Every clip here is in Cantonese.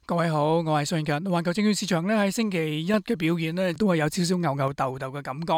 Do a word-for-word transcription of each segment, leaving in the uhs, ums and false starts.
各位好，我係宋慶勤。環球證券市場咧喺星期一嘅表現咧都係有少少牛牛豆豆嘅感覺。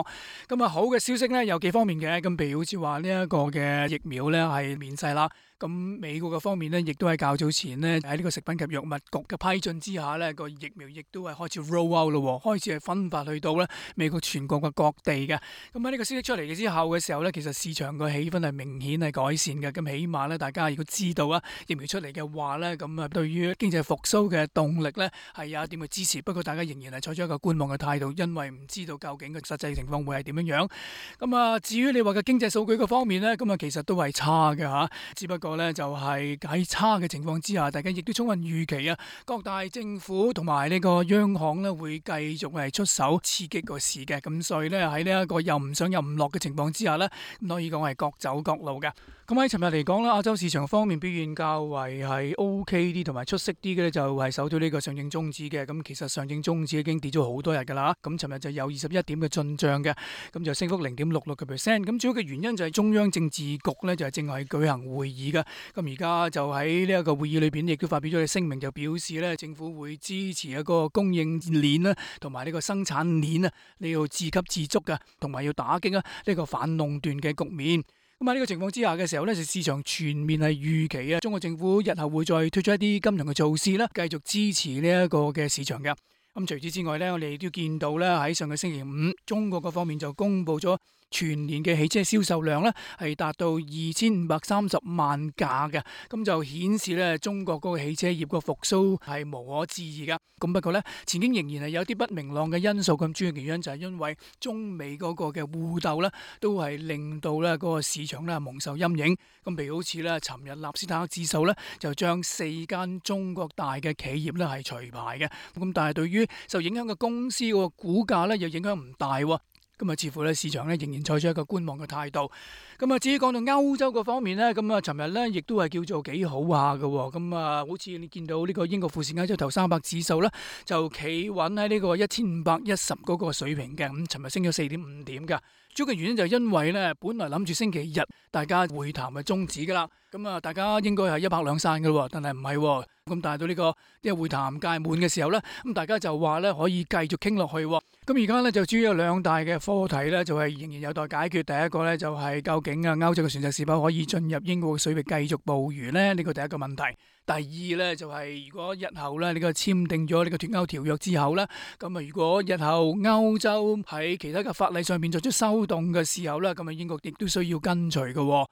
咁啊好嘅消息咧有幾方面嘅，咁譬如好似話呢一個嘅疫苗咧係面世啦。咁美國嘅方面咧亦都係較早前咧喺呢個食品及藥物局嘅批准之下咧個疫苗亦都係開始 roll out 咯，開始係分發去到咧美國全國嘅各地嘅。咁喺呢個消息出嚟嘅之後嘅時候咧，其實市場個氣氛係明顯係改善嘅。咁起碼咧大家如果知道啊疫苗出嚟嘅話咧，咁啊對於經濟復甦嘅動力咧係有一點嘅支持，不過大家仍然係採取一個觀望嘅態度，因為唔知道究竟嘅實際情況會係點樣樣。咁啊，至於你話嘅經濟數據嘅方面咧，咁啊其實都係差嘅嚇，只不過咧就係喺差嘅情況之下，大家亦都充分預期啊，各大政府同埋呢個央行咧會繼續係出手刺激個市嘅，咁所以咧喺呢一個又唔上又唔落嘅情況之下咧，咁可以講係各走各路嘅。咁喺尋日嚟講啦，亞洲市場方面表現較為係 OK 啲同埋出色啲嘅咧，就係守到呢個上證綜指嘅。咁其實上證綜指已經跌咗好多日㗎啦。咁尋日就有二十一點嘅進帳嘅，咁就升幅零點六六個 percent。咁主要嘅原因就係中央政治局咧就係正係舉行會議嘅。咁而家就喺呢一個會議裏邊，亦都發表咗嘅聲明，就表示咧政府會支持一個供應鏈啦，同埋呢個生產鏈啊，你要自給自足嘅，同埋要打擊啊呢個反壟斷嘅局面。咁喺呢個情況之下嘅時候咧，市場全面係預期啊，中國政府日後會再推出一啲金融嘅措施啦，繼續支持呢一個嘅市場嘅。咁除此之外咧，我哋都見到咧喺上個星期五，中國嗰方面就公布咗全年嘅汽車銷售量咧係達到二千五百三十萬架嘅，咁就顯示咧中國嗰個汽車業個復甦係無可置疑噶。咁不過咧前景仍然係有啲不明朗嘅因素，咁主要原因就係因為中美嗰個嘅互鬥咧都係令到咧嗰個市場咧蒙受陰影。咁譬如好似咧尋日納斯達克指數咧就將四間中國大嘅企業咧係除牌嘅，咁但係對於受影響嘅公司個股價咧又影響唔大喎。咁啊，似乎咧市場咧仍然採取一個觀望嘅態度。咁啊，至於講到歐洲嗰方面咧，咁啊，尋日咧亦都係叫做幾好下嘅。咁啊，好似你見到呢個英國富時歐洲頭三百指數咧，就企穩喺呢個一千五百一十嗰個水平嘅。咁尋日升咗四點五點㗎。主要嘅原因就係因為咧，本來諗住星期日大家會談係終止㗎啦。咁啊，大家應該係一拍兩散㗎喎，但係唔係喎。咁但係到呢個呢個會談屆滿嘅時候咧，咁大家就話咧可以繼續傾落去。咁而家咧就主要有兩大嘅課題咧，就係仍然有待解決。第一個咧就係究竟啊歐洲嘅船隻是否可以進入英國嘅水域繼續捕魚咧？呢個第一個問題。第二咧就係如果日後咧呢個簽訂咗呢個脫歐條約之後咧，咁啊如果日後歐洲喺其他嘅法例上邊作出修訂嘅時候咧，咁啊英國亦都需要跟隨嘅。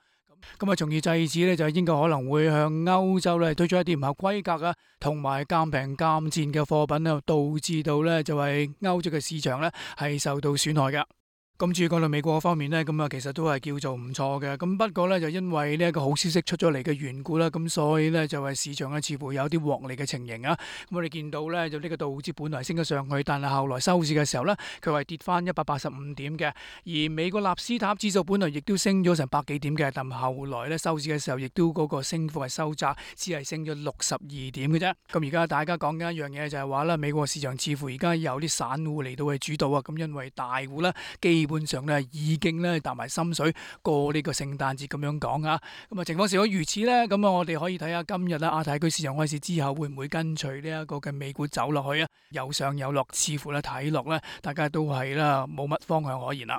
咁啊，從而制止咧，就係英國可能會向歐洲咧推出一啲唔合規格啊，同埋賤平賤賤嘅貨品咧，導致到咧就係歐洲嘅市場咧係受到損害嘅。咁至於講到美國方面咧，咁啊其實都係叫做唔錯嘅。咁不過咧就因為呢一個好消息出咗嚟嘅緣故啦，咁所以咧就係市場咧似乎有啲獲利嘅情形啊。咁我哋見到咧就呢個道指本來升咗上去，但係後來收市嘅時候咧，佢係跌翻一百八十五點嘅。而美國納斯達克指數本來亦都升咗成百幾點嘅，但後來咧收市嘅時候亦都嗰個升幅係收窄，只係升咗六十二點嘅啫。咁而家大家講緊一樣嘢就係話咧，美國市場似乎而家有啲散戶嚟到去主導啊。咁因為大戶咧基本上咧已經咧搭埋心水過呢個聖誕節咁樣講啊，咁啊情況是否如此呢？咁啊我哋可以睇下今日啦，亞太區市場開市之後會唔會跟隨呢一個嘅美股走落去啊？有上有落，似乎咧睇落咧，大家都係啦冇乜方向可言啦。